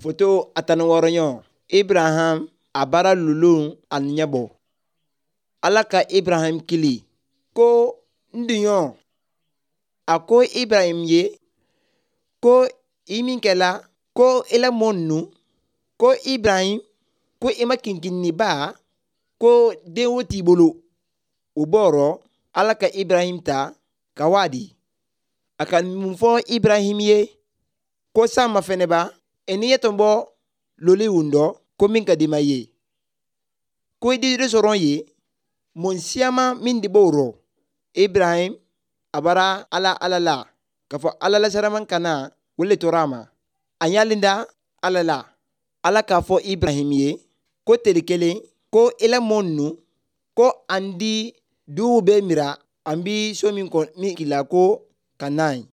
Foto a 16ɲɔ, Ibraham a bara lulun a ɲɛbɔ. Ala ka Ibrahim kili ko n duɲɔ. A ko Ibrahim ye ko i min kɛla ko i la mɔ nu ko Ibrahim ko i ma kinkinniba ko den wo t'i bolo. O bɔrɔ Ala ka Ibrahim ta ka wadi. A ka mun fɔ Ibrahim ye ko san ma fɛnɛ ba n'i ye tɔnbɔ loli wundɔ ko min ka di ma ye. Ko i di sɔrɔ ye mun siyama min di b'o rɔ. Ibrahim a bara Ala Ala la k'a fɔ Ala la saraman kana o le tora a ma. A y'alen da Ala la. Ala k'a fɔ Ibrahim ye ko teri kelen ko i la mɔ nu ko an di duw bɛ mira an bi so min kɔ min kila ko ka na ye.